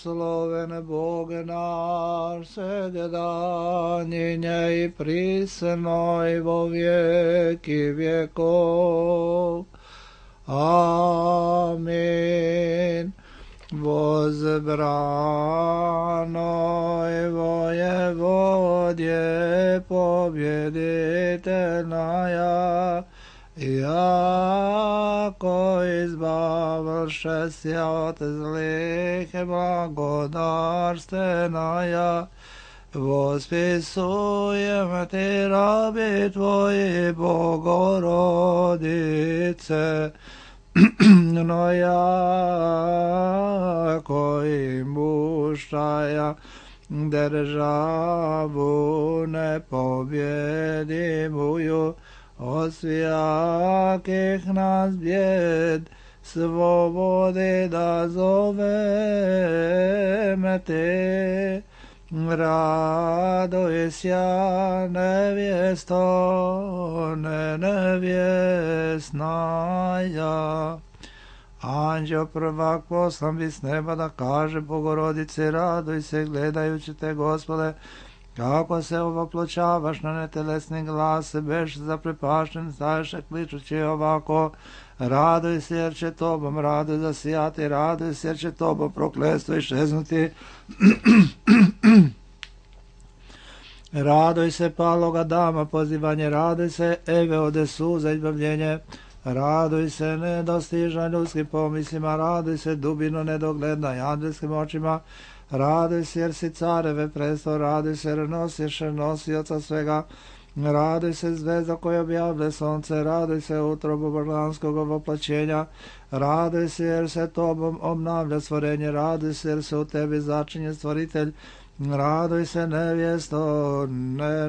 blagosloven Bog naš, svega nje i prisno i vo vijeki vjekov. Amin. Возбранoj воеводje побjeditelная, jako izbavlše sja od zlih blagodarstveная, vospisujem ti rabi tvoji, Bogorodice, no jako im buštaja državu nepobjedimuju, od svijakih nas bjed svobode da zoveme te. Radoj sja nevjesto, nevjesnaja. Anđeo prvak poslan bi s neba da kaže Bogorodice, radoj se gledajući te, Gospode, kako se ovopločavaš na netelesni glas, beš zaprepašten, staješ kličući ovako: radoj se jer će tobom radoj zasijati, radoj se jer će tobom prokletstvo iščeznuti. Radoj se paloga dama pozivanje, radoj se Eve ode suza izbavljenje, radoj se nedostižna ljudskim pomislima, radoj se dubino nedogledna i angelskim očima, radoj se jer si careve presto, radoj se jer nosiš nosioca svega, radoj se zvezda koja objavlja sonce, radoj se utrobu božanskog voplaćenja, radoj se jer se tobom obnavlja stvorenje, radoj se jer se u tebi začinje stvoritelj, radoj se nevjesto,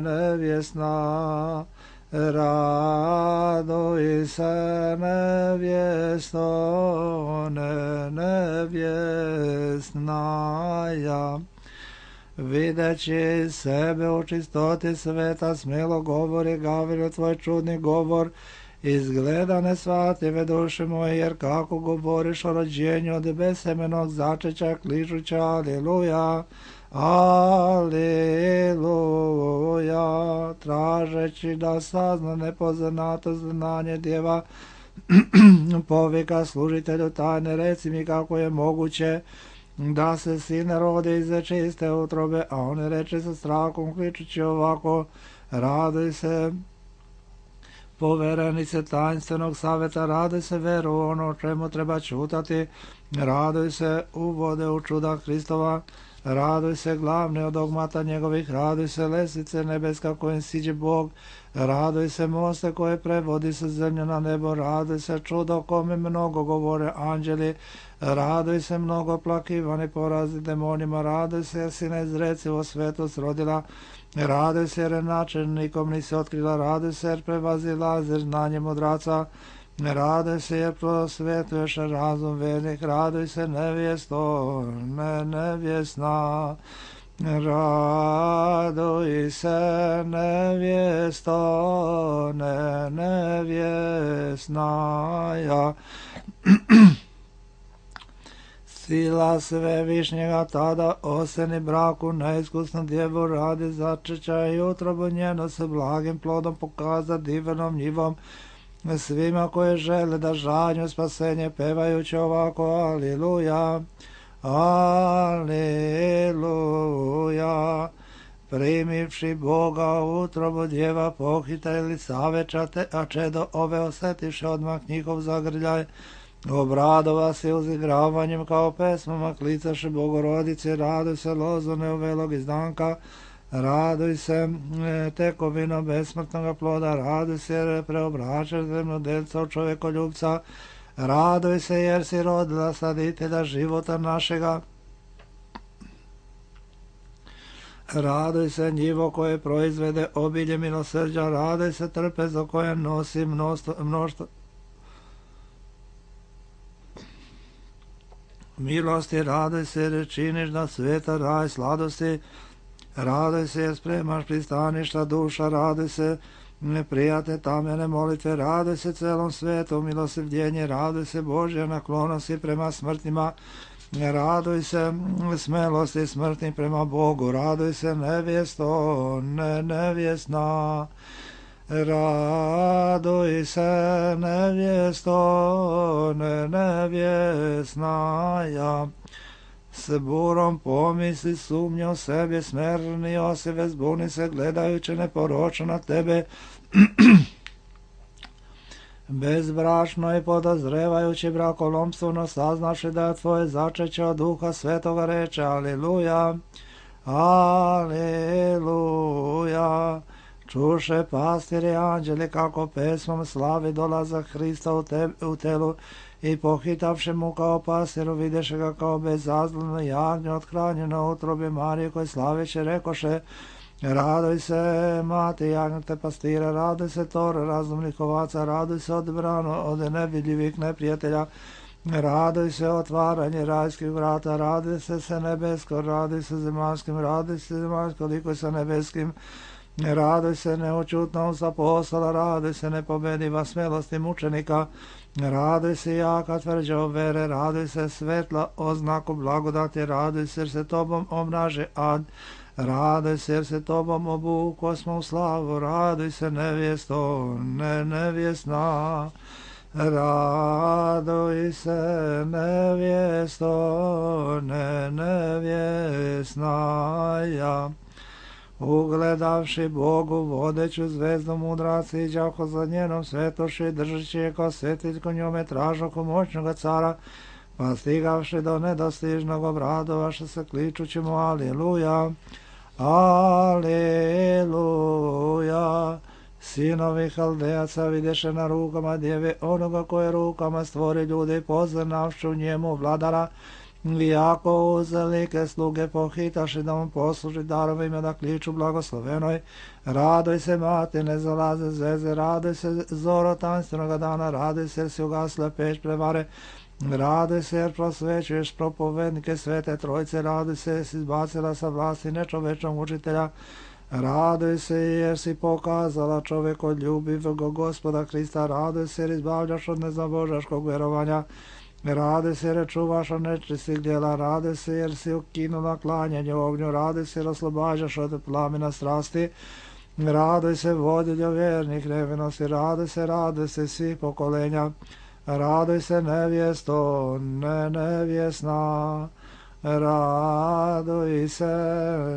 nevjesna, radoj se nevjesto, nevjesnaja. Videći sebe u čistoti sveta, smjelo govori Gavrilo tvoj čudni govor, izgleda nesvatljive duše moje, jer kako govoriš o rođenju od besemenog začeća, kličuća aleluja, aleluja, tražeći da sazna nepoznato znanje djeva, povika služitelju tajne, reci mi kako je moguće da se sin rodi iz čiste utrobe, a on reče sa strahom kličući ovako: radoj se poverenice tajnstvenog savjeta, radoj se veru ono o čemu treba čutati, radoj se uvode u čuda Hristova, radoj se glavne od dogmata njegovih, radoj se lesice nebeska kojim siđe Bog, radoj se moste koje prevodi sa zemlje na nebo, radoj se čudo kome mnogo govore anđeli, radoj se mnogo plakivani porazi demonima, radoj se jer si neizrecivo svetost rodila, radoj se jer načelnikom nisi otkrila, radoj se jer prevazilazi znanje mudraca, radoj se jer prosvetuješ razum vernih, radoj se nevjesto, nevjesna, radoj se nevjesto, nevjesnaja. Sila svevišnjega tada oseni braku neiskusnu djevu radi začeća i utrobu njeno se blagim plodom pokaza divnom njivom svima koje žele da žanju spasenje pevajući ovako aleluja, aleluja. Primivši Boga u utrobu djeva pohita ili savečate, a čedo ove osetiše odmah njihov zagrljaj, obradova se uzigravanjem kao pesmama klicaše Bogorodice, radoj se lozo neuvelog izdanka, radoj se tekovino besmrtnog ploda, radoj se jer preobraćaš zemljodelca od čovjekoljubca, radoj se jer si rodila saditelja života našega, radoj se njivo koje proizvede obilje milosrđa, radoj se trpezo koje nosi mnoštvo milosti, radoj se jer činiš da sveta raj sladosti, radoj se jer spremaš pristaništa duša, radoj se neprijatne tamjene molitve, radoj se celom svetu milosrđenje, radoj se Božja naklonosti prema smrtnima, Raduj se smelosti smrtni prema Bogu, raduj se nevjesto, nevjesna. Raduj se nevjesto, nevjesna. Ja s burom pomisli sumnje o sebi, smerni osive zbuni se gledajući neporočno na tebe, bezbrašno i podozrevajući brakolomstveno saznaši da je tvoje začeće od Duha Svetoga, reče Aliluja, Aliluja. Čuše pastiri anđeli kako pesmom slavi dolazak Hrista u telu i pohitavši mu kao pastiru videše ga kao bezazleno jagnje othranjeno u utrobi Marije koje slaviće rekoše: Raduj se, mati jagnjete pastira, raduj se tore razumnih ovaca, raduj se odbrano od nevidljivih neprijatelja, raduj se otvaranje rajskih vrata, raduj se nebesko, raduj se zemaljskim, raduj se zemaljsko liko sa nebeskim, raduj se neučutnost apostola, raduj se nepobediva smelosti mučenika, raduj se jaka tvrđa vere, raduj se svetla oznaku blagodati, raduj se jer se tobom obnaže ad, raduj se jer se tobom obuko smo u slavu, raduj se nevjesto, nevjesna. Raduj se nevjesto, nevjesna. Ja ugledavši Bogu vodeću zvezdu mudraci iđaho za njenom svetoši, držeći je kao svetiljko njome tražoko moćnoga cara, pa stigavši do nedostižnog obradovaše se kličući mu Aliluja, Aliluja. Sinovi Haldejaca videše na rukama djeve onoga koje rukama stvori ljude i poznavšću njemu vladara, iako uzalike sluge pohitaši da mu posluži darovima da kliču blagoslovenoj. Raduj se mati ne zalaze zeze, raduj se zoro tanstvenoga dana, raduj se jer si ugasla peć prevare, raduj se jer prosvećuješ propovednike svete trojce, raduj se jer si izbacila sa vlasti nečovečnog učitelja, raduj se jer si pokazala čovjekoljubivog Gospoda Krista, raduj se jer izbavljaš od nezabožaškog vjerovanja, raduj se jer čuvaš od nečistih djela, raduj se jer si ukinula klanjanje ognju, raduj se jer oslobađaš od plamena strasti, raduj se vodiljo vjernih nevinosti, raduj se svih pokolenja, raduj se nevjesto, nevjesna. Raduj se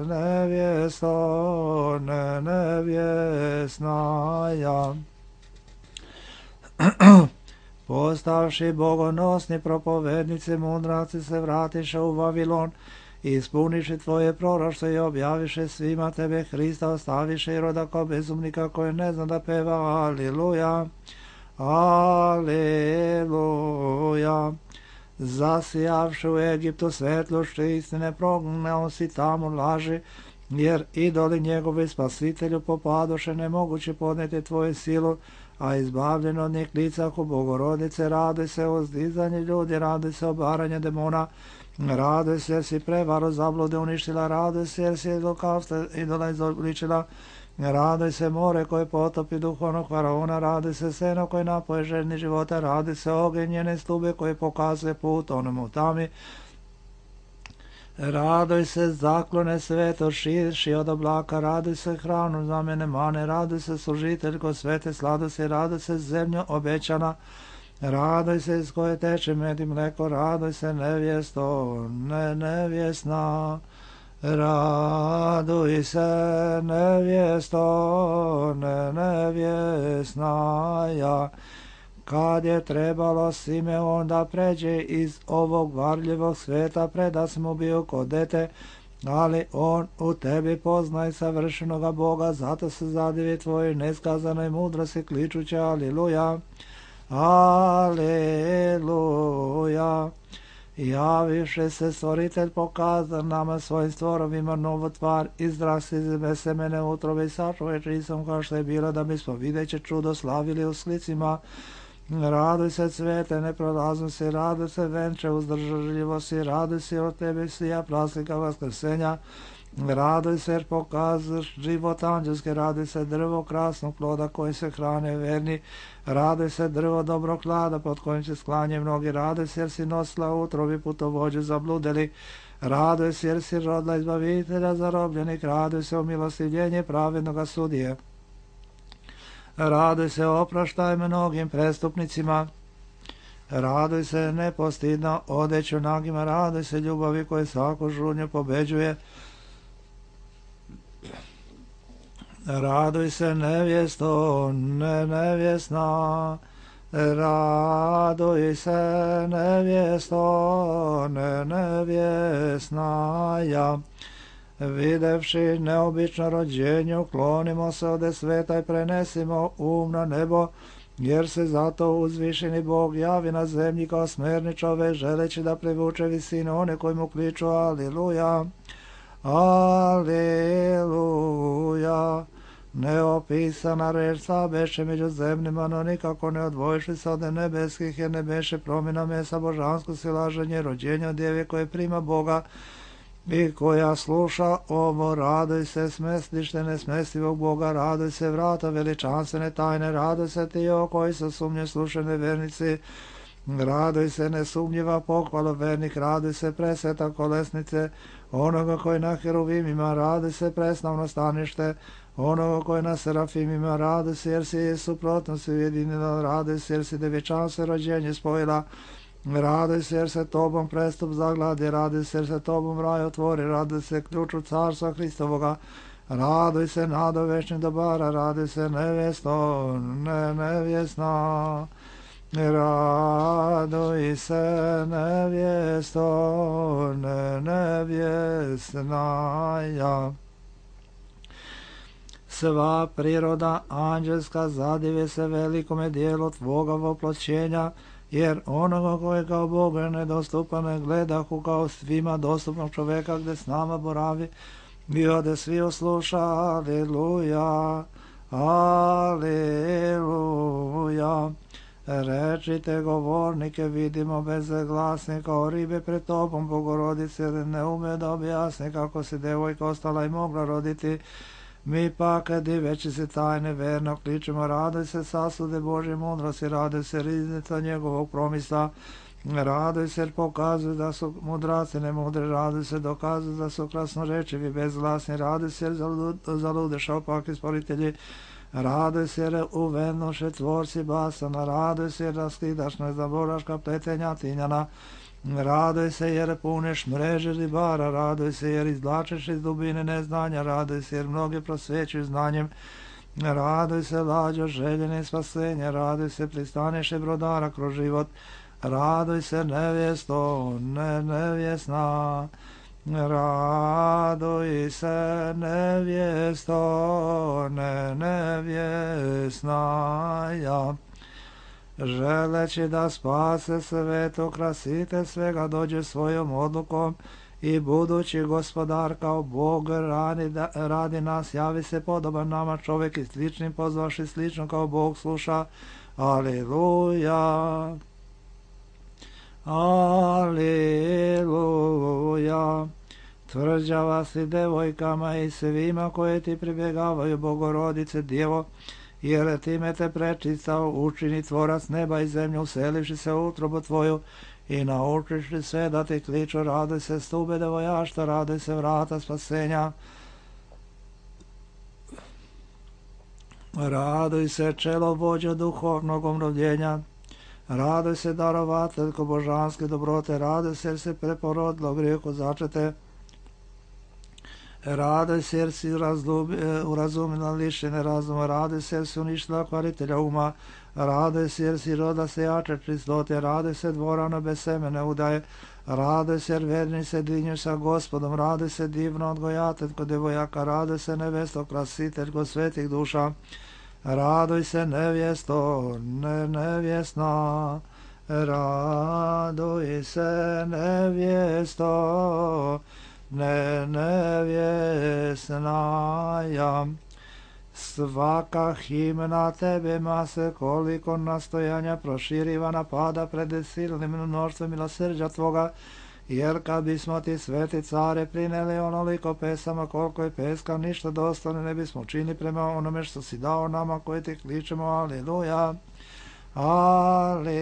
nevjesto, nevjesna. Ja postavši bogonosni propovednici mudraci se vratiše u Vavilon, ispuniše tvoje proroštvo i objaviše svima tebe Hrista, ostaviše i roda kao bezumnika koji ne zna da peva Aliluja, Aliluja. Zasijavši u Egiptu svetlošću istine, prognao si tamo laži, jer idoli njegovi spasitelju popadoše, nemoguće podnijeti tvoju silu, a izbavljeno od njih licahu Bogorodice. Raduj se o zdizanje ljudi, raduj se obaranje demona, raduj se jer si prevaru zablude uništila, raduj se jer si idola izobličila, raduj se more koje potopi duhovnog faraona, raduj se seno koje napoje željni života, raduj se ogenj njene stube koje pokazuje put onom u tami, raduj se zaklone sveto širši od oblaka, raduj se hranu znamene mane, raduj se služiteljko svete sladosti, raduj se zemljo obećana, raduj se iz koje teče med i mleko, raduj se nevjesto, nevjesna. Raduj se nevjesto, nevjesna. Ja kad je trebalo Simeon da pređe iz ovog varljivog sveta, predas mu bio kod dete, ali on u tebi poznaj savršenoga Boga, zato se zadivi tvojoj neskazanoj mudrosti kličuće Aliluja, Aliluja. Javiše se stvoritelj pokazan nama svojim stvorovima novu tvar, izrasti iz semene utrobe i sačuvaj čisom kao što je bilo, da bismo videće čudo slavili u slicima. Raduj se cvete neprolaznosti, raduj se venče uzdržljivosti, raduj se od tebe sija praslika vaskrsenja, Radoj se jer pokazuješ život anđelske, radoj se drvo krasnog ploda kojim se hrane verni, radoj se drvo dobrog klada pod kojim se sklanje mnogi, radoj se jer si nosila utrobi putovođe zabludeli, radoj se jer si rodila izbavitelja zarobljenih, radoj se o milostivljenje pravednoga sudije, radoj se opraštaj mnogim prestupnicima, radoj se nepostidno odeću nagima, radoj se ljubavi koje svaku žudnju pobeđuje, radoj se nevjesto, nevjesna, radoj se nevjesto, nevjesna ja. Videvši neobično rođenje, uklonimo se ode sveta i prenesimo na nebo, jer se zato uzvišeni Bog javi na zemlji kao smerni čovek, želeći da privuče visinu one koji mu kliču Aliluja, Aliluja. Neopisana reč sa beše među zemljima, no nikako ne odvojišli se od nebeskih, jer ne beše promjena mesa božansko silaženje, rođenja djeve koje prima Boga i koja sluša ovo, radoj se smestište nesmestivog Boga, radoj se vrata veličanstvene tajne, radoj se ti o koji sa sumnje slušene vernici, radoj se nesumnjiva pohvala vernik, radoj se presveta kolesnice onoga koji na heruvimima, radoj se preslavno stanište onoga koji na serafimima, radoj se jer si suprotnost ujedinila, radoj se jer si devječanstvo rođenje spojila, radoj se jer se tobom prestup zagladi, radoj se jer se tobom raj otvori, radoj se ključu carstva Hristovoga, radoj se nado večnih dobara, radoj se nevjesto, nevjesna, radoj se nevjesto, nevjesna ja. Sva priroda anđelska zadivje se velikome dijelu tvoga voploćenja, jer onoga koje kao Boga je nedostupan gledahu kao svima dostupnog čoveka gde s nama boravi, i ode svi osluša, Aleluja, Aleluja. Rečite govornike, vidimo bezglasni kao ribe pred tobom, Bogorodice, ne ume da objasni kako se devojka ostala i mogla roditi. Mi pak, diveći se tajne, verno kličemo, radoj se sasude Božje mudrosti, radoj se riznica njegovog promisla, radoj se jer pokazuju da su mudraci nemudri, radoj se dokazuju da su krasnorečivi, bezglasni, radoj se jer zaludeša opaki sporitelji, radoj se jer uvednoše tvorci basana, radoj se jer raskidaš nezaboraška pletenja tinjana, radoj se jer puniš mreže ribara, radoj se jer izvlačeš iz dubine neznanja, radoj se jer mnogi prosvećuju znanjem, radoj se lađo željene spasenja, radoj se pristaneše brodara kroz život, radoj se nevjesto, nevjesna, radoj se nevjesto, nevjesna ja. Želeći da spase sveto, krasite svega, dođe svojom odlukom i budući gospodar kao Bog radi nas, javi se podoban nama čovjek i sličnim pozvaši slično kao Bog sluša. Aleluja, aleluja. Tvrđava si devojkama i svima koje ti pribjegavaju, Bogorodice Djevo, jer time te prečistao, učini tvorac neba i zemlju, uselivši se u utrobu tvoju i naučiš sve da ti kliču, radoj se stube devojašta, radoj se vrata spasenja, radoj se čelo vođa duhovnog omrovljenja, radoj se darovateljko božanske dobrote, radoj se jer se preporodilo grijehu začete, radoj se jer si urazumila lišene razuma, radoj se jer si uništila kvaritelja uma, radoj se jer si roda sejače čistote, radoj se dvorano bez semene udaje, radoj se jer verni se dinju sa gospodom, radoj se divno odgojateljko devojaka, radoj se nevesto krasiteljko svetih duša, radoj se nevjesto, nevjesna, radoj se nevjesto, nevjesna ja. Svaka himna tebe se koliko nastojanja proširiva napada pred silnim mnoštvom milosrđa tvoga, jer kad bismo ti, sveti care, prineli onoliko pesama koliko je peska, ništa dostane ne bismo činili prema onome što si dao nama koji ti kličemo. Aleluja, aleluja.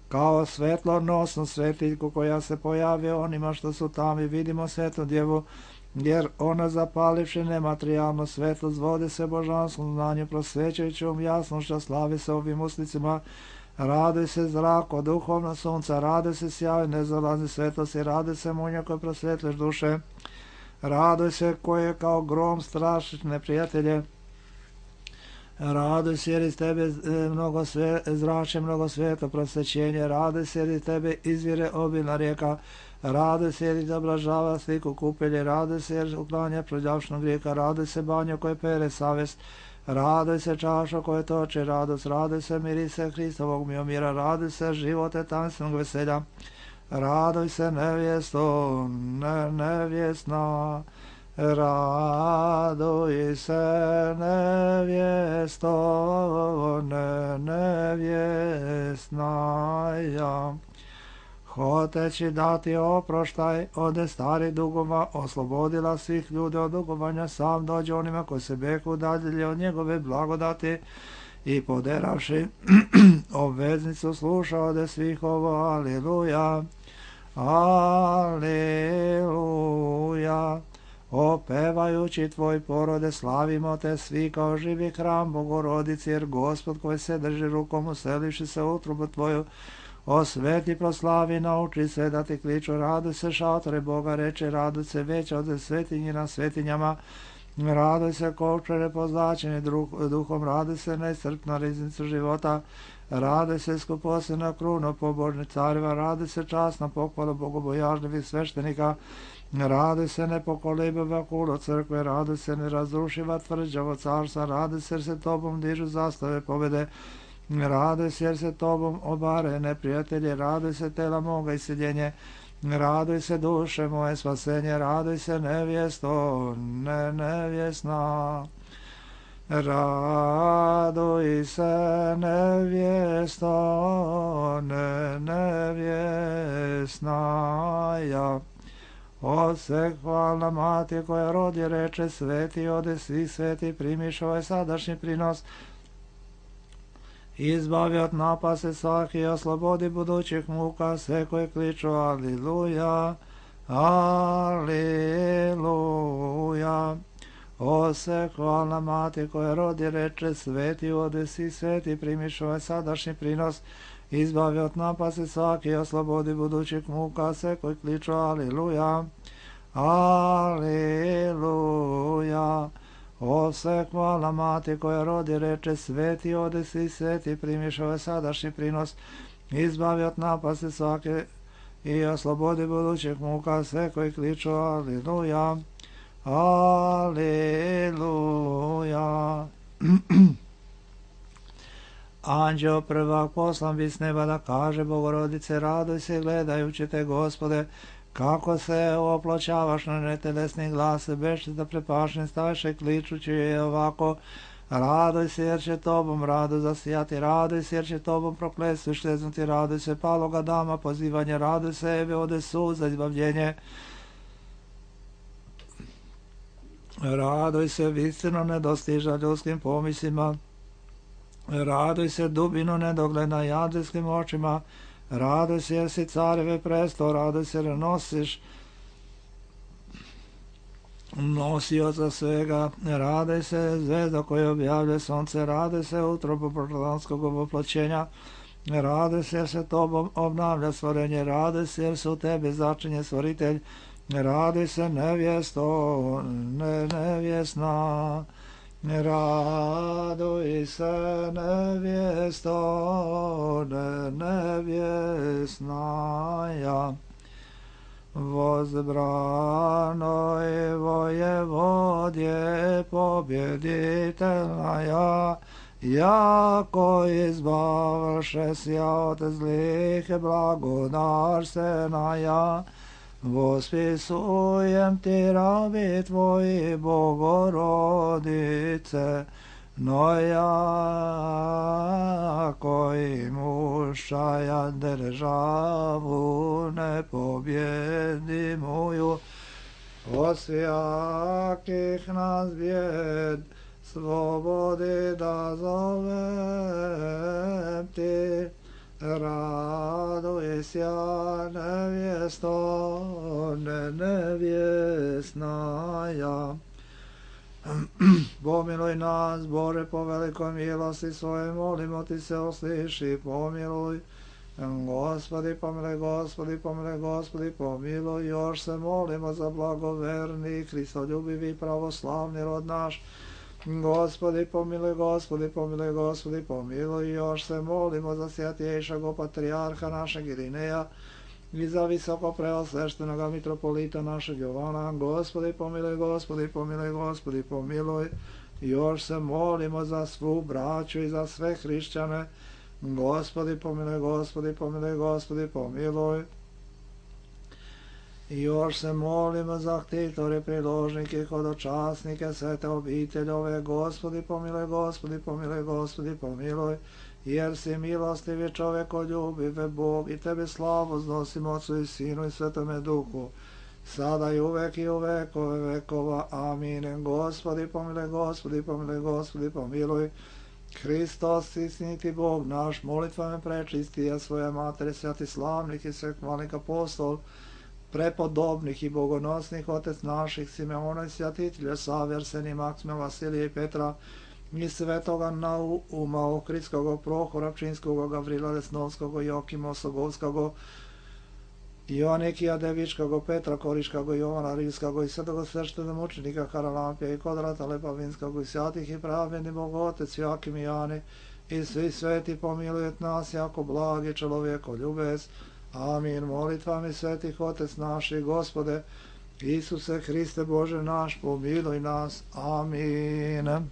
Kao svetlonosnu svetiljku koja se pojavi onima što su tamo, i vidimo svetu djevu, jer ona zapalivši nematerijalno svetlo zvode se božanskom znanju, prosvećajućom jasnošću, slavi se ovim uslicima. Raduj se zrako, duhovno sunca, raduj se sjaj nezalazni svetlosti, raduj se munja koje prosvetliš duše, raduj se koje kao grom strašiš neprijatelje, raduj se jer iz tebe zrače mnogo sveta prosvećenje, raduj se jer iz tebe izvire obilna rijeka, raduj se jer izobražava sliku kupelje, raduj se jer uklanja prođavšnog grijeka, raduj se banjo koje pere savest, raduj se čašo koje toče radost, raduj se mirise Hristovog miomira, raduj se živote tanstvenog veselja, raduj se nevjesto, nevjesna, raduj se nevjesto, nevjesna ja. Hoteći dati oproštaj od starih dugova, oslobodila svih ljudi od dugovanja, sam dođe onima koji se beku udalje od njegove blagodati i poderavši obveznicu sluša ode svih ovo. Aleluja, aleluja. Opevajući tvoj porode, slavimo te svi kao živi hram Bogorodici, jer Gospod koji se drži rukom uselivši se u utrubu tvoju, osveti, proslavi, nauči se da ti kliču. Raduj se šatore Boga, reče, raduj se veća od svetinji na svetinjama, raduj se kovčare pozlačeni duhom, raduj se neiscrpna riznica života, raduj se skuposena kruna pobožnih careva, raduj se časna pohvala bogobojažljivih sveštenika, raduj se nepokolebiva kulo crkve, raduj se nerazrušiva tvrđavo carstva, raduj se jer se tobom dižu zastave pobjede, raduj se jer se tobom obare neprijatelje, raduj se tela moga iseljenje, raduj se duše moje spasenje, raduj se nevjesto, nevjesna, raduj se nevjesto, nevjesna ja. Odsek hvalna mati koja rodi, reče, sveti ode svih sveti, primiš ovaj sadašnji prinos, izbavi od napase svaki, oslobodi budućih muka sve koje kliču. Aleluja, aleluja. Odsek hvalna mati koja rodi, reče, sveti ode svih sveti, primiš ovaj sadašnji prinos, izbavi od napase svaki, oslobodi budućih muka sve koji kliču. Aleluja, aleluja. Osek hvala mati koja rodi, reče, sveti ode svi sveti, primiš ovaj sadašnji prinos, izbavi od napasti svake i oslobodi budućih muka sve koji kliču. Aleluja, aleluja. Anđeo prvak poslan bi s neba da kaže, Bogorodice, raduj se gledajući te, Gospode, kako se oploćavaš na netelesni glas, beše da prepašen staše kličući je ovako, raduj se jer će tobom radu zasijati, raduj se jer će tobom prokletstvu šteznuti, raduj se paloga dama pozivanje, raduj se ebe ode sud za izbavljenje, raduj se istino nedostiža ljudskim pomislima, raduj se dubino nedogleda jadljskim očima, raduj se jer si careve presto, raduj se jer nosiš nosioca svega, raduj se zvezda koja objavlja sunce, raduj se utrobu protlanskog oploćenja, raduj se jer se tobom obnavlja stvorenje, raduj se jer se u tebi začinje stvoritelj, raduj se nevjesto, nevjesna, raduj se nevjesto, nevjesna ja. Возбранoj vojevodje pobjeditelja, jako izbavše sja od zlih blagodarstvena ja. Vospisujem ti rabi tvoji, Bogorodice, no jako i muž прощая державу непобедимую, от всяких нас бед свободы да зовем Ти. Радуйся, невесто, невестная. Помилуй нас, Боже, по великой милости Своей, молимо Ти се, услыши, помилуй. Господи, помилуй, Господи, помилуй, Господи, помилуй. Još se molimo za blagoverni, Hristoljubivi, pravoslavni rod naš. Gospodi, pomiluje, Gospodi, pomiluje, Gospodi, pomiluje. Još se molimo za svjatjejšeg patrijarha našeg Irineja i za visoko preosveštenog mitropolita našeg Jovana. Gospodi, pomiluje, Gospodi, pomiluje, Gospodi, pomiluje. Još se molimo za svu braću i za sve hrišćane. Gospodi, pomiluje, Gospodi, pomiluje, Gospodi, pomiluje. I još se molimo za ktitore, priložnike, hodočasnike, svete obiteljove. Gospodi, pomiloj, Gospodi, pomiloj, Gospodi, pomiloj. Jer si milostivi čovekoljubive Bog i Tebe slavu znosimo Otcu i Sinu i Svetome Duhu, sada i uvek i u vekove vekova. Amin. Gospodi, pomiloj, Gospodi, pomiloj, Gospodi, pomiloj. Hristos, istiniti Bog naš, molitvama prečistija svoje matere, sveti slavnih i sveh malih apostol, prepodobnih i bogonosnih otec naših Simeona i svjatitelja Save, Arsenija, Maksima, Vasilija i Petra i svetoga Nauma, Ohridskog, Prohora, Pčinskog, Gavrila, Lesnovskog, Jokima, Osogovskog, Ionikija, Devičkog, Petra, Koriškog, Jovana Rilskog i svetoga sveštenog mučenika Haralampija i Kodrata Lepavinskog i svjatih i pravljeni Bog Otec Jakim i Jani i svi sveti pomilujet nas jako blagi čovjeko ljubez. Amin. Molitvami svetih Otec naši, Gospode, Isuse Hriste Bože naš, pomiluj nas. Amin.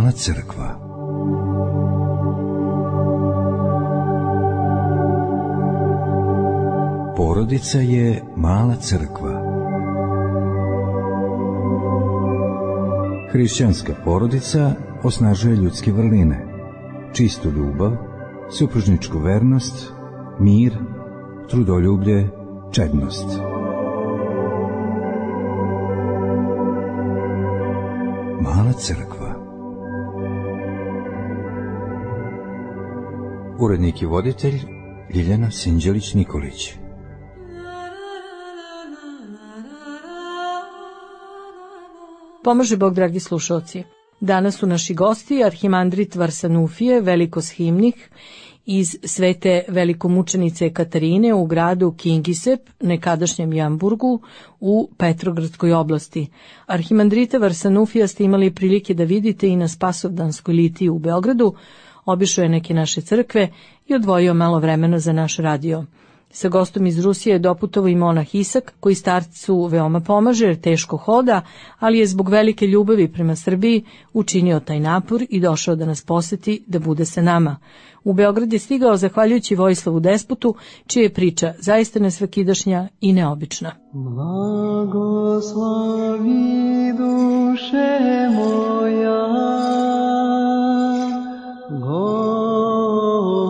Mala crkva. Porodica je mala crkva. Hrišćanska porodica osnažuje ljudske vrline, čistu ljubav, supružničku vernost, mir, trudoljublje, čednost. Mala crkva. Urednik i voditelj Ljiljana Sinđelić-Nikolić. Pomaže Bog, dragi slušalci. Danas su naši gosti arhimandrit Varsanufije, velikoshimnik iz svete velikomučenice Katarine u gradu Kingisep, nekadašnjem Jamburgu, u Petrogradskoj oblasti. Arhimandrita Varsanufija ste imali prilike da vidite i na Spasovdanskoj litiji u Beogradu, obišao je neke naše crkve i odvojio malo vremena za naš radio. Sa gostom iz Rusije je doputovao i monah Isak, koji starcu veoma pomaže jer teško hoda, ali je zbog velike ljubavi prema Srbiji učinio taj napor i došao da nas poseti, da bude sa nama. U Beograd je stigao zahvaljujući Vojislavu Despotu, čija je priča zaista nesvakidašnja i neobična. Blagoslovi duše moja,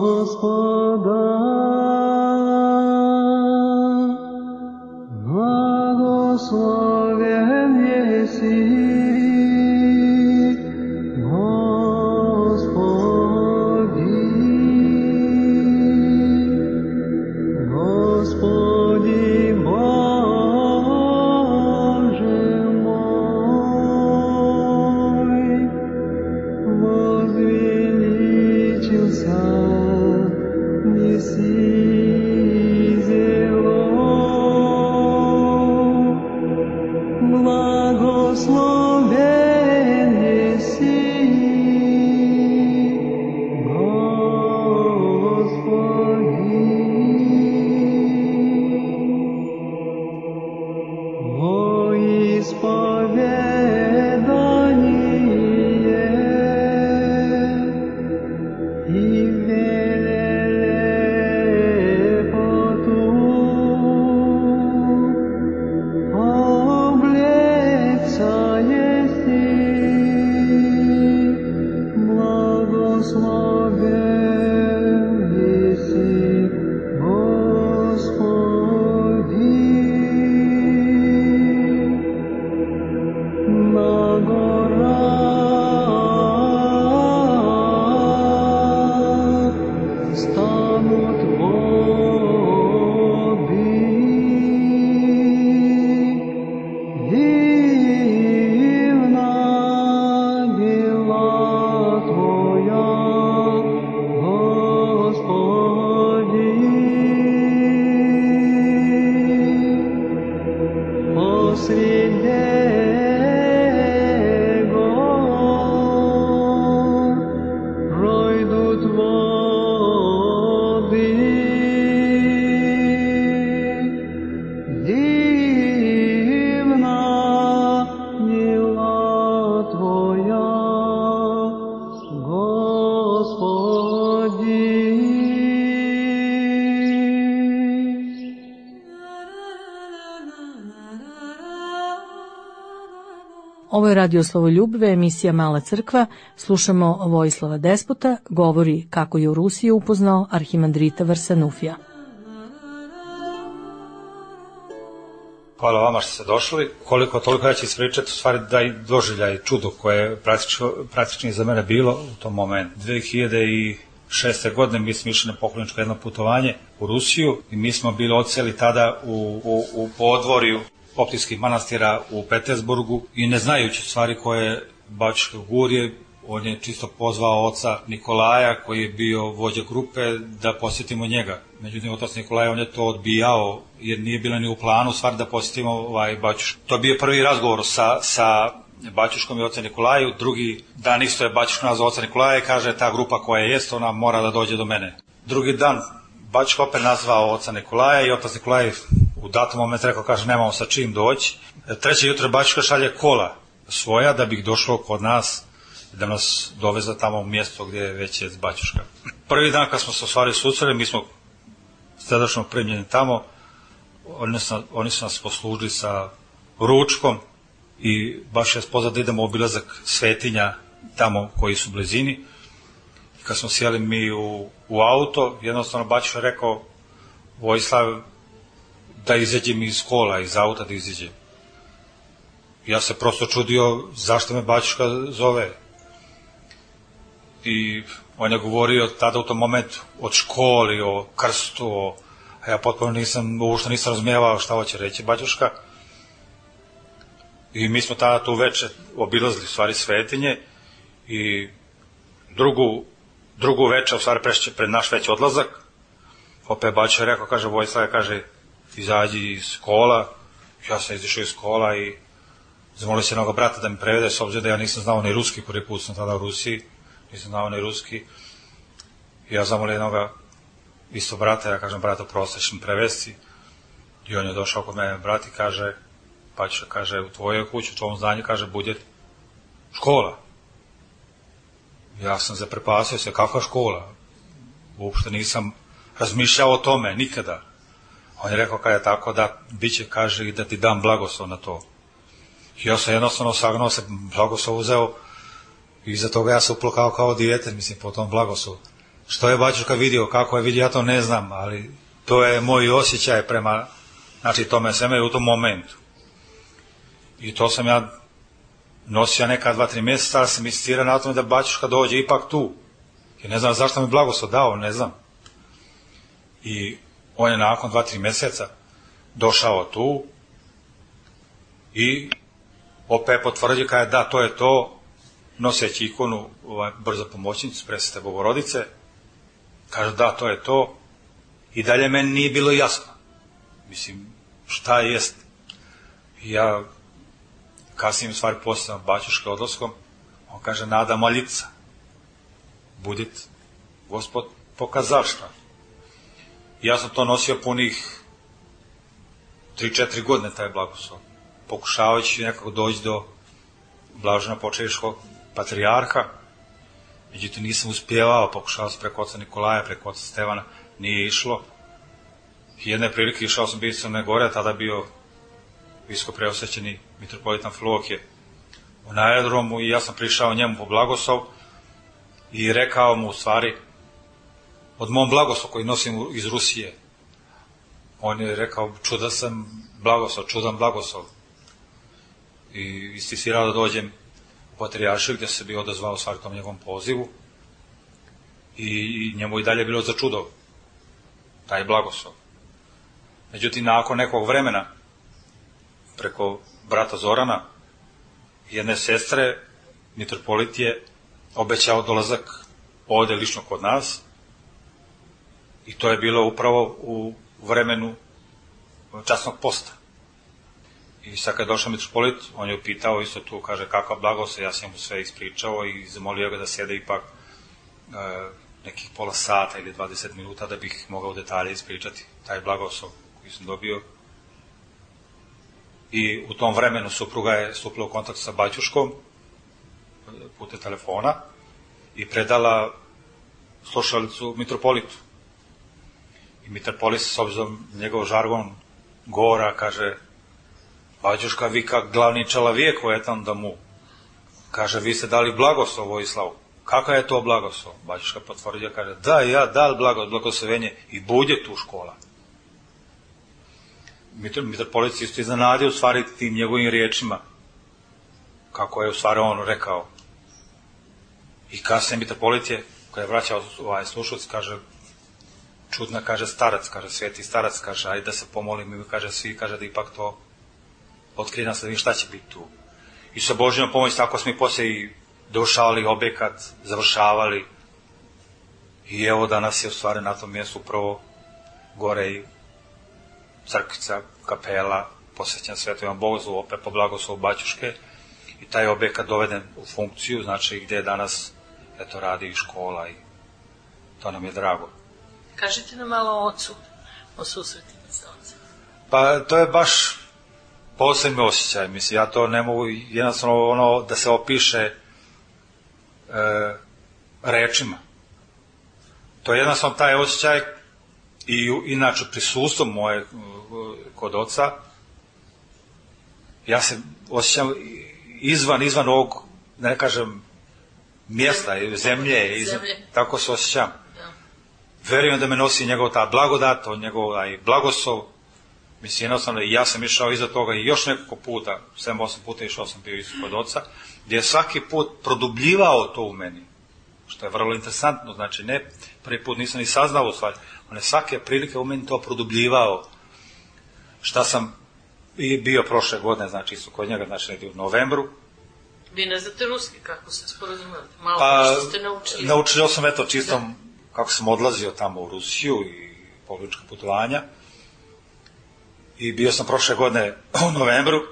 Gospoda, blagosloven jesi, Ovo je Radio Slavoljubve, emisija Mala crkva. Slušamo Vojislava Despota, govori kako je u Rusiji upoznao arhimandrita Varsanufija. Hvala vama što ste došli. Koliko toliko ja ću ispričati, u stvari da i doživljaj čudo koje je praktično za mene bilo u tom momentu. 2006. godine mi smo išli na pokloničko jedno putovanje u Rusiju i mi smo bili odseli tada u podvorju Optijskih manastira u Petersburgu i ne znajući stvari koje Bačke Gurje, on je čisto pozvao oca Nikolaja koji je bio vođa grupe da posjetimo njega. Međutim, otac Nikolaj on je to odbijao jer nije bilo ni u planu stvari da posjetimo Bačušku. To je bio prvi razgovor sa Bačuškom i ocem Nikolaju. Drugi dan isto je Bačuška nazvao oca Nikolaja i kaže ta grupa koja jest ona mora da dođe do mene. Drugi dan Bačuška opet nazvao oca Nikolaja i otac Nikolaj u datom momentu rekao, kaže, nemamo sa čim doći. Treće jutro Bačuška šalje kola svoja da bi došlo kod nas, da nas doveze tamo u mjesto gdje već je Bačuška. Prvi dan kad smo se u stvari susreli, mi smo srdačno primljeni tamo, oni su nas poslužili sa ručkom i baš je spoznat da idemo u obilazak svetinja tamo koji su u blizini. I kad smo sjeli mi u auto, jednostavno Bačuška rekao, Vojislav, da izađem iz kola, iz auta da izađem. Ja se prosto čudio zašto me Bačuška zove. I on je govorio tada u tom momentu od školi, o krstu, a ja potpuno uopšte nisam razumijevao šta hoće reći Bačuška. I mi smo tada tu večer obilazili u stvari svetinje i drugu večer u stvari pred naš već odlazak. Opet Bačuška je rekao, kaže, Vojislav, kaže, izađi iz kola. Ja sam izišao iz kola i zamolio se jednog brata da mi prevede, s obzirom da ja nisam znao ni ruski, prvi put sam tada u Rusiji, nisam znao ni ruski. Ja zamolio jednog isto brata, ja kažem brata prosječni prevesti, i on je došao kod mene, brat, i kaže, Baćuška, kaže, u tvojoj kući, u tvom zdanju, kaže, bude škola. Ja sam zaprepasio se, kakva škola? Uopšte nisam razmišljao o tome, nikada. On je rekao, kada je tako, da bit će, kaže, i da ti dam blagoslov na to. I ja sam jednostavno sagnuo se, blagoslov uzeo, i iza toga ja se uplakao kao dijete, mislim, po tom blagoslovu. Što je Baćuška vidio, kako je vidio, ja to ne znam, ali to je moj osjećaj prema, znači, tome sveme u tom momentu. I to sam ja nosio neka 2-3 mjeseca, ali sam insistirao na tome da Baćuška dođe ipak tu. I ne znam zašto mi blagoslov dao, ne znam. I on je nakon 2-3 mjeseca došao tu i opet potvrdio kada je da, to je to, noseći ikonu brzo pomoćnicu Presvete Bogorodice, kaže da, to je to, i dalje meni nije bilo jasno. Mislim, šta jest. I ja kasnije u stvari posljedno Baćuške odlaskom, on kaže, nada moljica, budit Gospod pokazal šta. I ja sam to nosio punih 3-4 godine, taj blagoslov, pokušavajući nekako doći do blažena počeviškog patrijarha, međutim nisam uspjevao, pokušao sam preko oca Nikolaja, preko oca Stevana, nije išlo. I jedne prilike išao sam biti Crne Gore, tada bio visko preosvećeni mitropolit Amfilohije na aerodromu, i ja sam prišao njemu po blagoslov i rekao mu u stvari od mom blagoslovu koji nosim iz Rusije. On je rekao, čudan sam blagoslov, čudan blagoslov. I istisirao da dođem u Patrijaršiju, gdje se bi odazvao u stvari tom njegovom pozivu, i njemu i dalje bilo za čudo taj blagoslov. Međutim, nakon nekog vremena, preko brata Zorana, jedne sestre, mitropolit je obećao dolazak ovdje lično kod nas, i to je bilo upravo u vremenu časnog posta. I sad kad je došao mitropolit, on je upitao isto tu, kaže, kakav blagoslov, ja sam mu sve ispričao i zamolio ga da sjede ipak nekih pola sata ili 20 minuta da bih mogao detalje ispričati taj blagoslov koji sam dobio. I u tom vremenu supruga je stupila u kontakt sa Baćuškom putem telefona i predala slušalicu mitropolitu. I mitropolit, s obzirom njegov žargon govora, kaže, Baćuška, vi kak glavni čelavijek u etam domu, kaže, vi ste dali blagoslov Vojislavu. Kakav je to blagoslov? Baćuška potvrdio, kaže, da, ja dal blagoslovenje i bude tu škola. Mitropolit isto iznenadio u stvari tim njegovim riječima, kako je u stvari on rekao. I kasnije mitropolit je, kada je vraćao slušalac, kaže, čudna, kaže, starac, kaže, sveti starac, kaže, ajde da se pomolim, i kaže, svi, kaže, da ipak to otkrije nas, da vidim šta će biti tu. I sa Božjom pomoći tako smo i poslije i došavali objekat, završavali, i evo danas je u stvari na tom mjestu upravo gore i crkvica, kapela, posvećena Svetom Bogoslovu, opet po blagoslovu Baćuške, i taj objekat doveden u funkciju, znači gdje danas eto radi i škola, i to nam je drago. Kažite nam malo o ocu, o susretima sa ocem. Pa to je baš posebni osjećaj, mislim, ja to ne mogu jednostavno ono da se opiše rečima. To je jednostavno taj osjećaj, i inače prisustvo moje kod oca, ja se osjećam izvan ovog, ne kažem, mjesta, zemlje. Tako se osjećam. Ja. Verujem da me nosi njegov ta blagodat, njegov blagoslov, mislim, jednostavno, i ja sam išao iza toga i još nekoliko puta, 7-8 puta išao sam bio isto kod oca, gdje je svaki put produbljivao to u meni, što je vrlo interesantno, znači ne, prvi put nisam ni saznao u stvari, on je svake prilike u meni to produbljivao. Šta sam i bio prošle godine, znači isto kod njega, znači negdje u novembru. Vi ne znate ruski, kako se sporazumeli? Malo što ste naučili? Naučio sam, eto, čisto kako sam odlazio tamo u Rusiju i pogranična putovanja. I bio sam prošle godine u novembru,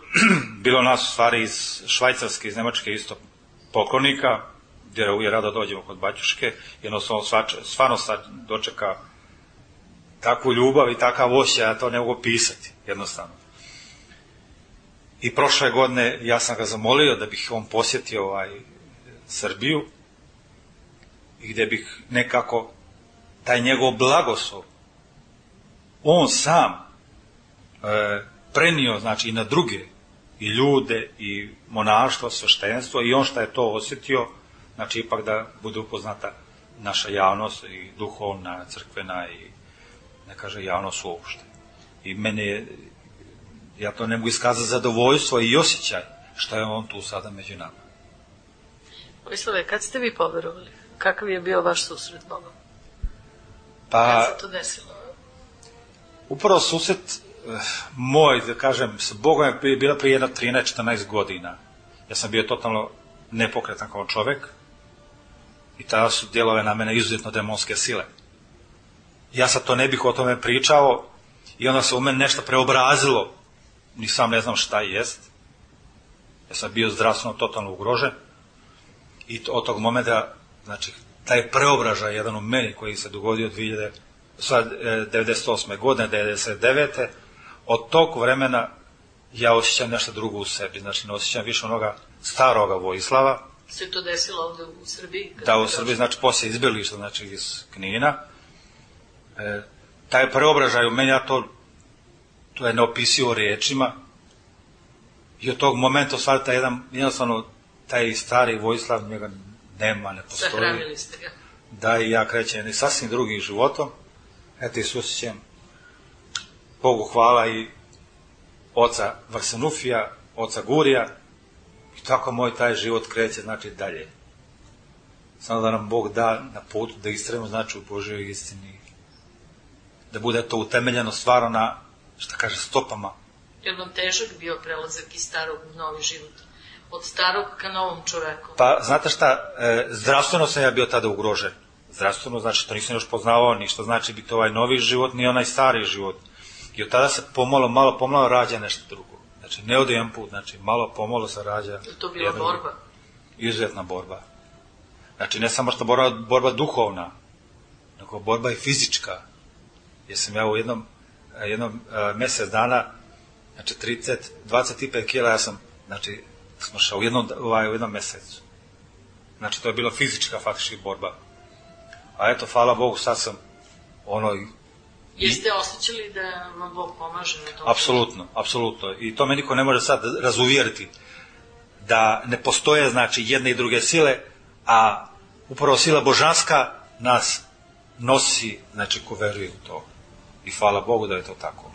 bilo nas u stvari iz Švajcarske, iz Nemačke isto poklonika, gdje uvijek rado dođemo kod Baćuške, jednostavno stvarno sad dočeka takvu ljubav i takav osjećaj, ja to ne mogu pisati, jednostavno. I prošle godine ja sam ga zamolio da bih on posjetio Srbiju i gdje bih nekako taj njegov blagoslov on sam prenio, znači, i na druge, i ljude, i monaštvo, sveštenstvo, i on što je to osjetio, znači, ipak da bude upoznata naša javnost, i duhovna, crkvena, i ne kaže javnost uopšte. I meni je, ja to ne mogu iskazati, zadovoljstvo i osjećaj što je on tu sada među nama. Vojislave, kad ste vi poverovali? Kakav je bio vaš susret s Bogom? Pa, kad se to desilo? Upravo susret moj, da kažem, s Bogom je bila prije jedno 13-14 godina. Ja sam bio totalno nepokretan kao čovek i tada su djelove na mene izuzetno demonske sile. Ja sad to ne bih o tome pričao i onda se u meni nešto preobrazilo, ni sam ne znam šta jest. Ja sam bio zdravstveno totalno ugrožen i od tog momenta, znači, taj preobražaj jedan u meni koji se dogodio 98. godine, 99. Od tog vremena ja osjećam nešto drugo u sebi, znači ne osjećam više onoga staroga Vojislava. Se to desilo ovde u Srbiji? Da, u Srbiji, znači poslije izbjeglišta, znači iz Knina. Taj preobražaj u meni, ja to je neopisivo riječima i od tog momenta stvari taj jednostavno taj stari Vojislav, njega nema, ne postoji. Sahranili ste ga. Da, i ja krećem sasvim drugim životom. Eto, i susjećem, Bogu hvala, i oca Varsanufija, oca Gurija, i tako moj taj život kreće, znači, dalje. Samo da nam Bog da na putu da istrajemo, znači, u Božjoj istini, da bude to utemeljeno stvarno na, šta kaže, stopama. Je vam težak bio prelazak iz starog u novi život? Od starog ka novom čoveku? Pa, znate šta, zdravstveno sam ja bio tada ugrožen. Zdravstveno, znači, to nisam još poznavao ni što znači biti ovaj novi život, ni onaj stari život. I od tada se malo pomalo rađa nešto drugo. Znači, ne od jedan put, znači, malo pomalo se rađa. Je to bila borba? Izuzetna borba. Znači, ne samo što borba duhovna, nego borba i fizička. Jer sam ja u jednom mjesec dana, znači 25 kila, ja sam, znači, smo šao u jednom mjesecu. Znači, to je bila fizička faktički borba. A eto, hvala Bogu, sad sam Jeste osjećali da vam Bog pomaže na tom? Apsolutno, apsolutno. I to me niko ne može sad razuvjeriti da ne postoje, znači, jedne i druge sile, a upravo sila božanska nas nosi, znači, ko veruje u to. I hvala Bogu da je to tako.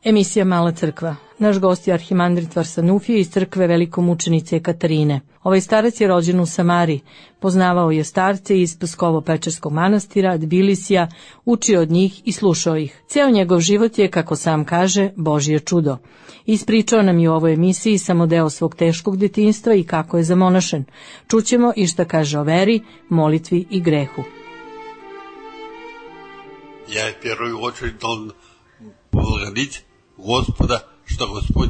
Emisija Mala crkva. Naš gost je arhimandrit Varsanufije iz crkve velikomučenice Katarine. Ovaj starac je rođen u Samari. Poznavao je starce iz Pskovo-Pečerskog manastira, Tbilisija, učio od njih i slušao ih. Ceo njegov život je, kako sam kaže, Božje čudo. Ispričao nam je u ovoj emisiji samo deo svog teškog detinjstva i kako je zamonašen. Čućemo i šta kaže o veri, molitvi i grehu. Ja je первую очередь должен благодарить Господа, što Gospod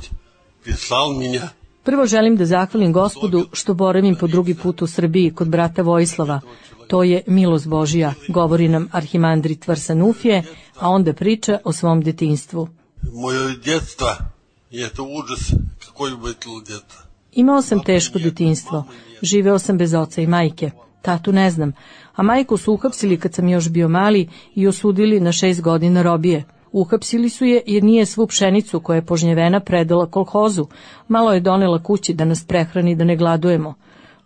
prислал меня. Prvo želim da zahvalim Gospodu što boravim po drugi put u Srbiji kod brata Vojislava. To je milost Božija, govori nam arhimandrit Varsanufije, a onda priča o svom detinjstvu. Moje djetstvo je to užas, kako je bilo djetstvo. Imao sam teško detinjstvo, živeo sam bez oca i majke, tatu ne znam, a majku su uhapsili kad sam još bio mali i osudili na 6 godina robije. Uhapsili su je jer nije svu pšenicu koja je požnjevena predala kolhozu, malo je donela kući da nas prehrani da ne gladujemo.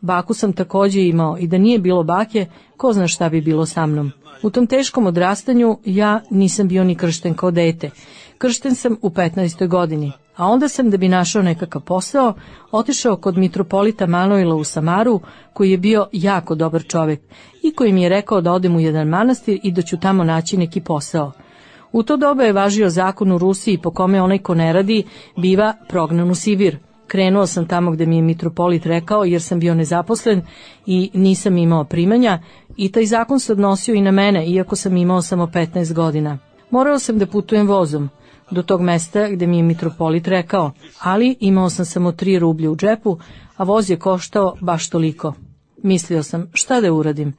Baku sam takođe imao i da nije bilo bake, ko zna šta bi bilo sa mnom. U tom teškom odrastanju ja nisam bio ni kršten kao dete. Kršten sam u 15. godini, a onda sam, da bi našao nekakav posao, otišao kod mitropolita Manojla u Samaru, koji je bio jako dobar čovek i koji mi je rekao da odem u jedan manastir i da ću tamo naći neki posao. U to doba je važio zakon u Rusiji po kome onaj ko ne radi biva prognan u Sibir. Krenuo sam tamo gde mi je mitropolit rekao, jer sam bio nezaposlen i nisam imao primanja, i taj zakon se odnosio i na mene, iako sam imao samo 15 godina. Morao sam da putujem vozom do tog mesta gde mi je mitropolit rekao, ali imao sam samo 3 rublje u džepu, a voz je koštao baš toliko. Mislio sam, šta da uradim?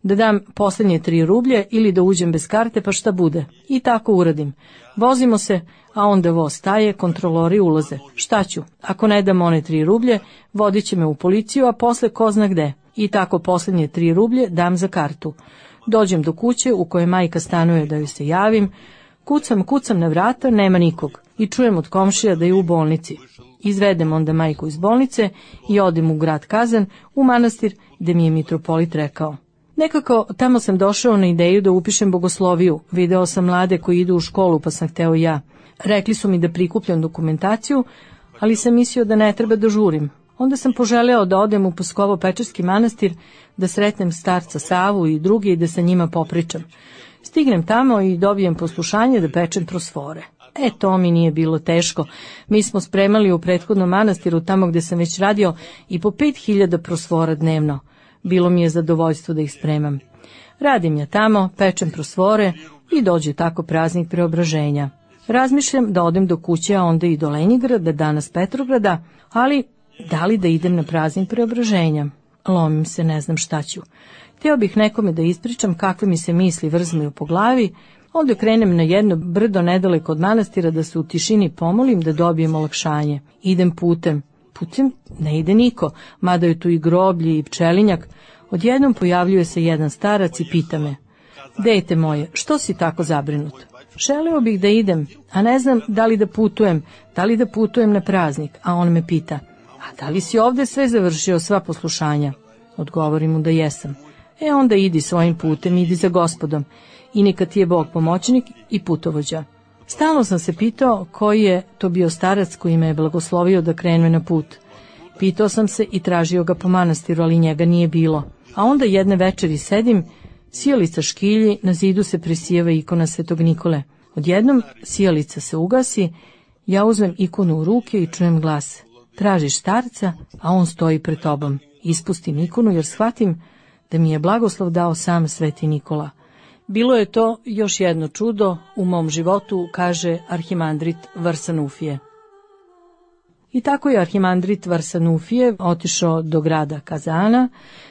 Da dam poslednje 3 rublje ili da uđem bez karte, pa šta bude? I tako uradim. Vozimo se, a onda voz staje, kontrolori ulaze. Šta ću? Ako ne dam one 3 rublje, vodit će me u policiju, a posle ko zna gde. I tako poslednje 3 rublje dam za kartu. Dođem do kuće u kojoj majka stanuje da joj se javim. Kucam na vrata, nema nikog. I čujem od komšija da je u bolnici. Izvedem onda majku iz bolnice i odem u grad Kazan, u manastir gde mi je mitropolit rekao. Nekako tamo sam došao na ideju da upišem bogosloviju. Video sam mlade koji idu u školu, pa sam hteo i ja. Rekli su mi da prikupljam dokumentaciju, ali sam mislio da ne treba da žurim. Onda sam poželeo da odem u Pskovo-Pečerski manastir, da sretnem starca Savu i druge i da sa njima popričam. Stignem tamo i dobijem poslušanje da pečem prosfore. To mi nije bilo teško. Mi smo spremali u prethodnom manastiru, tamo gde sam već radio, i po 5000 prosfora dnevno. Bilo mi je zadovoljstvo da ih spremam. Radim ja tamo, pečem prosfore i dođe tako praznik Preobraženja. Razmišljam da odem do kuće, a onda i do Lenjingrada, danas Petrograda, ali da li da idem na praznik Preobraženja? Lomim se, ne znam šta ću. Hteo bih nekome da ispričam kakve mi se misli vrzmaju po glavi, onda krenem na jedno brdo nedaleko od manastira da se u tišini pomolim da dobijem olakšanje. Idem putem. Putem ne ide niko, mada je tu i groblje i pčelinjak. Odjednom pojavljuje se jedan starac i pita me: dete moje, što si tako zabrinut? Želeo bih da idem, a ne znam da li da putujem na praznik, a on me pita: a da li si ovde sve završio, sva poslušanja? Odgovorim mu da jesam. Onda idi svojim putem, idi za Gospodom, i neka ti je Bog pomoćnik i putovođa. Stalno sam se pitao koji je to bio starac koji me je blagoslovio da krene na put. Pitao sam se i tražio ga po manastiru, ali njega nije bilo. A onda jedne večeri sedim, sijalica škilji, na zidu se presijeva ikona Svetog Nikole. Odjednom sijalica se ugasi, ja uzmem ikonu u ruke i čujem glas: tražiš starca, a on stoji pred tobom. Ispustim ikonu jer shvatim da mi je blagoslov dao sam Sveti Nikola. Bilo je to još jedno čudo u mom životu, kaže arhimandrit Varsanufije. I tako je arhimandrit Varsanufije otišao do grada Kazana,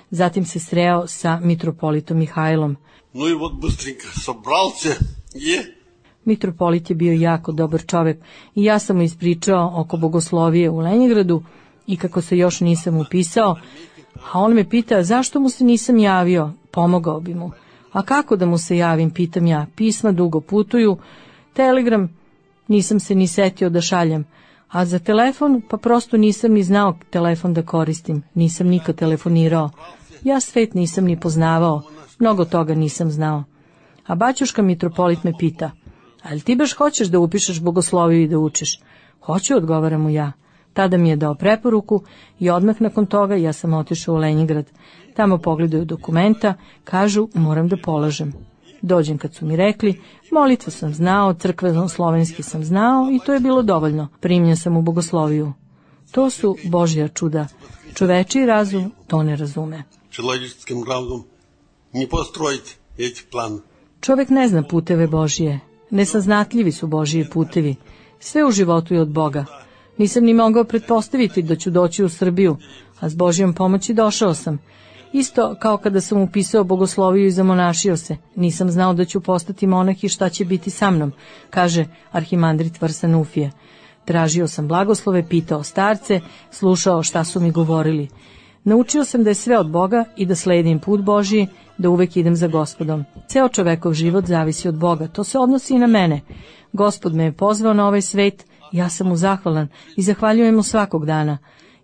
zatim se sreo sa mitropolitom Mihajlom. No i od bustrinka sobral se je. Mitropolit je bio jako dobar čovek i ja sam mu ispričao oko bogoslovije u Lenjingradu i kako se još nisam upisao, a on me pita zašto mu se nisam javio, pomogao bi mu. A kako da mu se javim, pitam ja, pisma dugo putuju, telegram nisam se ni setio da šaljem, a za telefon pa prosto nisam ni znao telefon da koristim, nisam nikad telefonirao. Ja svet nisam ni poznavao, mnogo toga nisam znao. A baćuška mitropolit me pita: ali ti baš hoćeš da upišeš bogosloviju i da učiš? Hoću, odgovaram mu ja. Tada mi je dao preporuku i odmah nakon toga ja sam otišao u Lenjingrad. Tamo pogledaju dokumenta, kažu moram da polažem. Dođem kad su mi rekli, molitvu sam znao, crkveno-slovenski sam znao i to je bilo dovoljno. Primljen sam u bogosloviju. To su Božja čuda. Čovečiji razum to ne razume. Človečkim razumom ne postrojiti eti plan. Čovek ne zna puteve Božije. Nesaznatljivi su Božiji putevi. Sve u životu je od Boga. Nisam ni mogao pretpostaviti da ću doći u Srbiju, a s Božjom pomoći došao sam. Isto kao kada sam upisao bogosloviju i zamonašio se. Nisam znao da ću postati monah i šta će biti sa mnom, kaže arhimandrit Varsanufije. Tražio sam blagoslove, pitao starce, slušao šta su mi govorili. Naučio sam da je sve od Boga i da sledim put Božiji, da uvek idem za Gospodom. Ceo čovekov život zavisi od Boga, to se odnosi i na mene. Gospod me je pozvao na ovaj svet, ja sam mu zahvalan i zahvaljujem mu svakog dana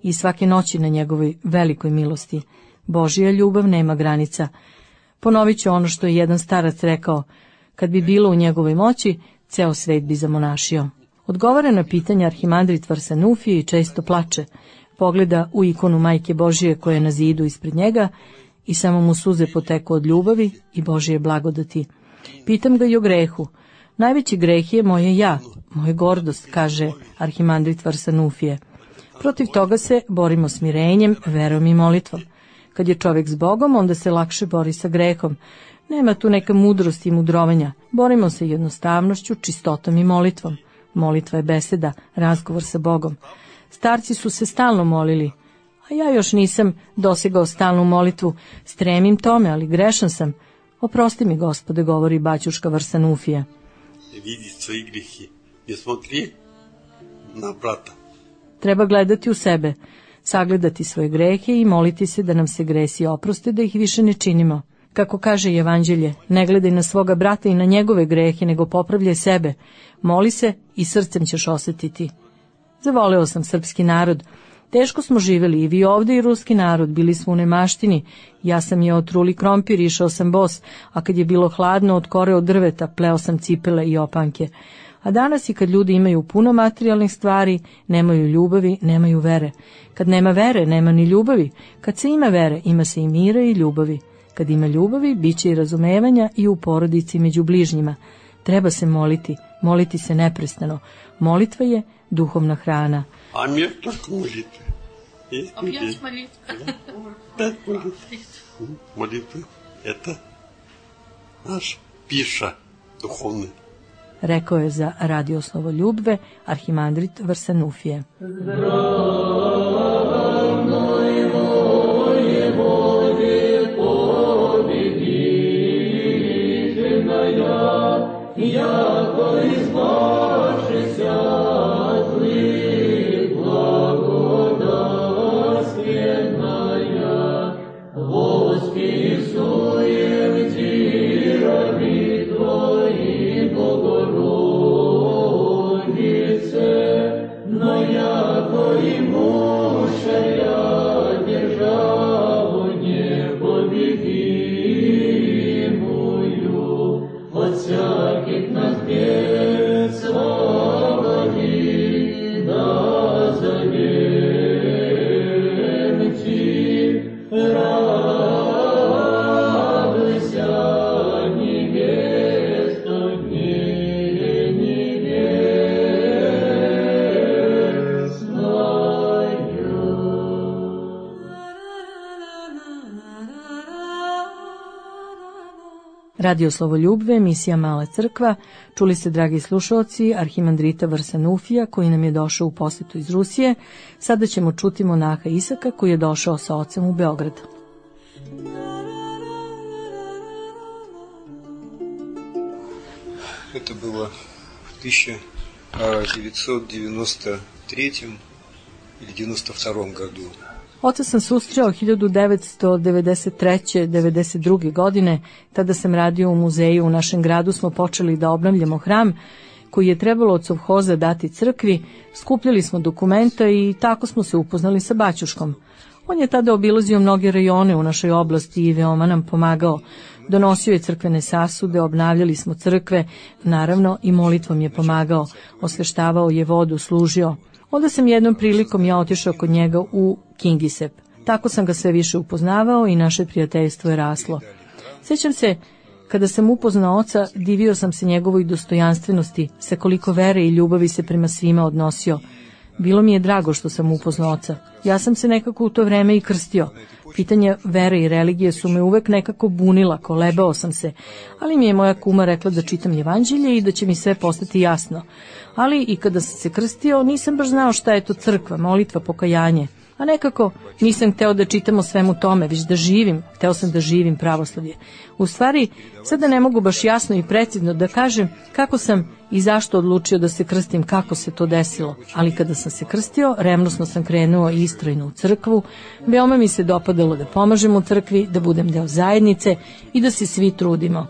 i svake noći na njegovoj velikoj milosti. Božja ljubav nema granica. Ponovit ću ono što je jedan starac rekao, kad bi bilo u njegovoj moći, ceo svet bi zamonašio. Odgovara na pitanje arhimandrit Varsanufije i često plače. Pogleda u ikonu Majke Božije koja je na zidu ispred njega i samo mu suze poteku od ljubavi i Božije blagodati. Pitam ga i o grehu. Najveći greh je moje ja, moja gordost, kaže arhimandrit Varsanufije. Protiv toga se borimo smirenjem, verom i molitvom. Kad je čovjek s Bogom, onda se lakše bori sa grehom. Nema tu neka mudrost i mudrovanja. Borimo se jednostavnošću, čistotom i molitvom. Molitva je beseda, razgovor sa Bogom. Starci su se stalno molili, a ja još nisam dosegao stalnu molitvu. Stremim tome, ali grešan sam. Oprosti mi, Gospode, govori baćuška Varsanufija. Vidi svoje grijehe, ne smotri na brata. Treba gledati u sebe, sagledati svoje grehe i moliti se da nam se gresi oproste, da ih više ne činimo. Kako kaže Evanđelje, ne gledaj na svoga brata i na njegove grehe, nego popravljaj sebe. Moli se i srcem ćeš osjetiti. Zavoleo sam srpski narod. Teško smo živjeli i vi ovde i ruski narod, bili smo u nemaštini. Ja sam jeo truli krompir, išao sam bos, a kad je bilo hladno od kore od drveta, pleo sam cipele i opanke. A danas i kad ljudi imaju puno materijalnih stvari, nemaju ljubavi, nemaju vere. Kad nema vere, nema ni ljubavi. Kad se ima vere, ima se i mira i ljubavi. Kad ima ljubavi, bit će i razumevanja i u porodici među bližnjima. Treba se moliti, moliti se neprestano. Molitva je duhovna hrana. А мир только молитвы. Опять молитва. Да, молитвы. Молитвы – это наш пища духовная. Rekao je za Radio Slovoljubve arhimandrit Varsanufije. Radio Slovoljubve, emisija Mala crkva. Čuli ste, dragi slušalci, arhimandrita Varsanufija koji nam je došao u posetu iz Rusije. Sada ćemo čuti monaha Isaka koji je došao sa ocem u Beograd. Это было в 1993 или 92 году. Oca sam susreo 1993-92. godine, tada sam radio u muzeju. U našem gradu smo počeli da obnavljamo hram koji je trebalo od sovhoza dati crkvi, skupljali smo dokumenta i tako smo se upoznali sa baćuškom. On je tada obilazio mnoge rajone u našoj oblasti i veoma nam pomagao. Donosio je crkvene sasude, obnavljali smo crkve, naravno i molitvom je pomagao, osveštavao je vodu, služio. Onda sam jednom prilikom ja otišao kod njega u Kingisep. Tako sam ga sve više upoznavao i naše prijateljstvo je raslo. Sjećam se, kada sam upoznao oca, divio sam se njegovoj dostojanstvenosti, sa koliko vere i ljubavi se prema svima odnosio. Bilo mi je drago što sam upoznao oca. Ja sam se nekako u to vreme i krstio. Pitanja vere i religije su me uvek nekako bunila, kolebao sam se, ali mi je moja kuma rekla da čitam Evanđelje i da će mi sve postati jasno. Ali i kada sam se krstio, nisam baš znao šta je to crkva, molitva, pokajanje. A nekako nisam hteo da čitam o svemu tome, već da živim, hteo sam da živim pravoslavlje. U stvari, sada ne mogu baš jasno i precizno da kažem kako sam i zašto odlučio da se krstim, kako se to desilo. Ali kada sam se krstio, revnosno sam krenuo istrajno u crkvu, veoma mi se dopadalo da pomažem u crkvi, da budem deo zajednice i da se svi trudimo.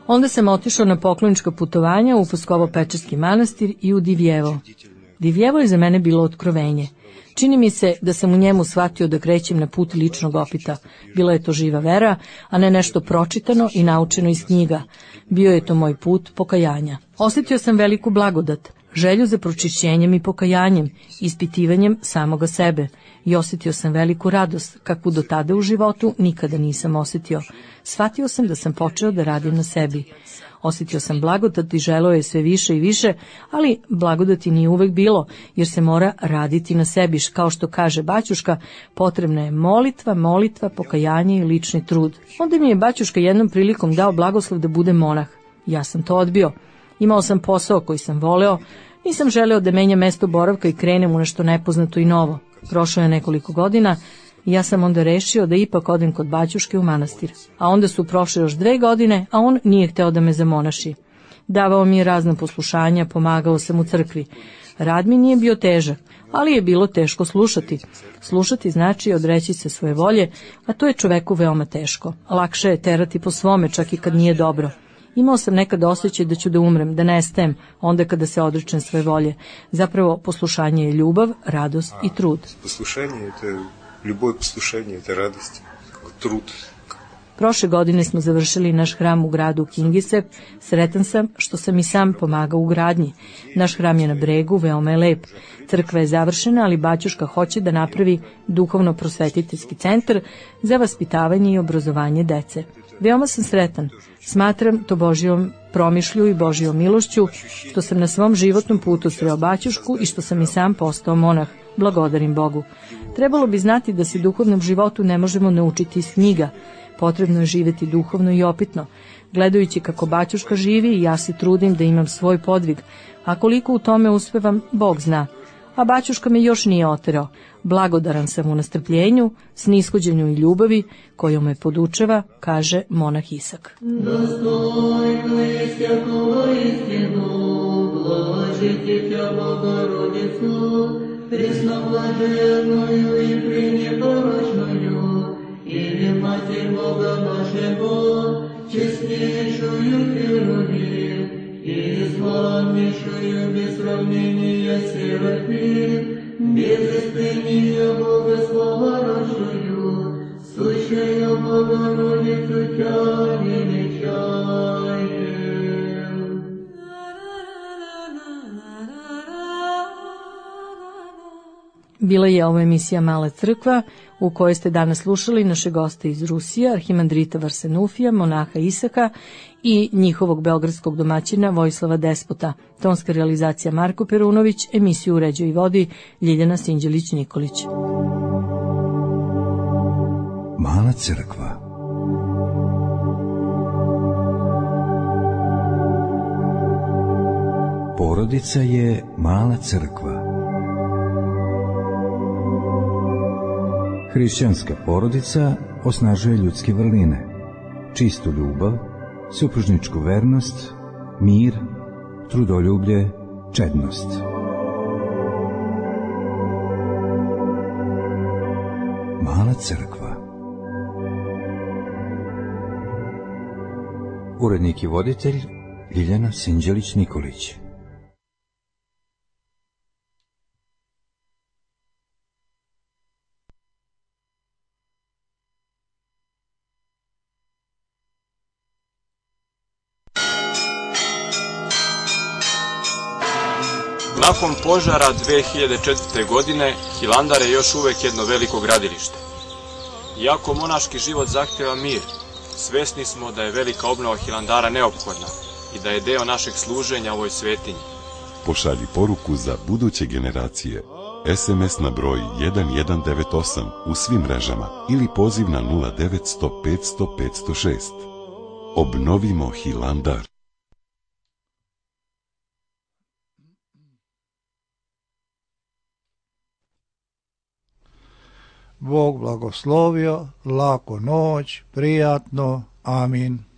Onda sam otišao na poklonička putovanja u Pskovo-Pečerski manastir i u Divjevo. Divjevo je za mene bilo otkrovenje. Čini mi se da sam u njemu shvatio da krećem na put ličnog opita. Bila je to živa vera, a ne nešto pročitano i naučeno iz knjiga. Bio je to moj put pokajanja. Osjetio sam veliku blagodat, želju za pročišćenjem i pokajanjem, ispitivanjem samoga sebe. I osjetio sam veliku radost, kakvu do tada u životu nikada nisam osjetio. Shvatio sam da sam počeo da radim na sebi. Osjetio sam blagodat i želeo je sve više i više, ali blagodati nije uvek bilo, jer se mora raditi na sebi. Kao što kaže Baćuška, potrebna je molitva, pokajanje i lični trud. Onda mi je Baćuška jednom prilikom dao blagoslov da budem monah. Ja sam to odbio. Imao sam posao koji sam voleo, nisam želeo da menjam mesto boravka i krenem u nešto nepoznato i novo. Prošlo je nekoliko godina i ja sam onda rešio da ipak odem kod Baćuške u manastir. A onda su prošle još 2 godine, a on nije hteo da me zamonaši. Davao mi je razna poslušanja, pomagao sam u crkvi. Rad mi nije bio težak, ali je bilo teško slušati. Slušati znači odreći se svoje volje, a to je čoveku veoma teško. Lakše je terati po svome, čak i kad nije dobro. Imao sam nekad osjećaj da ću da umrem, da nestajem, onda kada se odrečem svoje volje. Zapravo, poslušanje je ljubav, radost i trud. Poslušanje je ljubov, poslušanje je radost, trud. Prošle godine smo završili naš hram u gradu Kingisep. Sretan sam što sam i sam pomagao u gradnji. Naš hram je na bregu, veoma je lep. Crkva je završena, ali Baćuška hoće da napravi duhovno-prosvetiteljski centar za vaspitavanje i obrazovanje dece. Veoma sam sretan. Smatram to Božjom promišlju i Božjom milošću što sam na svom životnom putu sreo Baćušku i što sam i sam postao monah. Blagodarim Bogu. Trebalo bi znati da se duhovnom životu ne možemo naučiti iz knjiga. Potrebno je živeti duhovno i opitno. Gledajući kako Baćuška živi, ja se trudim da imam svoj podvig. A koliko u tome uspevam, Bog zna. A Baćuška me još nije oterao. Blagodaran sam u nastrpljenju, snishođenju i ljubavi, kojom me podučava, kaže monah Isak. Достойно и святого истину, блажите Тя Богородицу, пресноблаженную и пренепорочную, или Матерь Бога нашего, честнейшую Херувим, и славнейшую без сравнения Серафим, без истыния Бога словорожую, сущую Богородицу Тя величаем. Bila je ovo emisija Mala crkva u kojoj ste danas slušali naše goste iz Rusije, arhimandrita Varsanufija, monaha Isaka i njihovog beogradskog domaćina Vojislava Despota. Tonska realizacija Marko Perunović, emisiju uređuje i vodi Ljiljana Sinđelić-Nikolić. Mala crkva. Porodica je mala crkva. Hrišćanska porodica osnažuje ljudske vrline, čistu ljubav, supružničku vernost, mir, trudoljublje, čednost. Mala crkva. Urednik i voditelj Ljiljana Sinđelić-Nikolić. Nakon požara 2004. godine, Hilandar je još uvek jedno veliko gradilište. Iako monaški život zahteva mir, svesni smo da je velika obnova Hilandara neophodna i da je deo našeg služenja ovoj svetinji. Pošalji poruku za buduće generacije. SMS na broj 1198 u svim mrežama ili poziv na 0900 500 506. Obnovimo Hilandar. Bog blagoslovio, laku noć, prijatno, amin.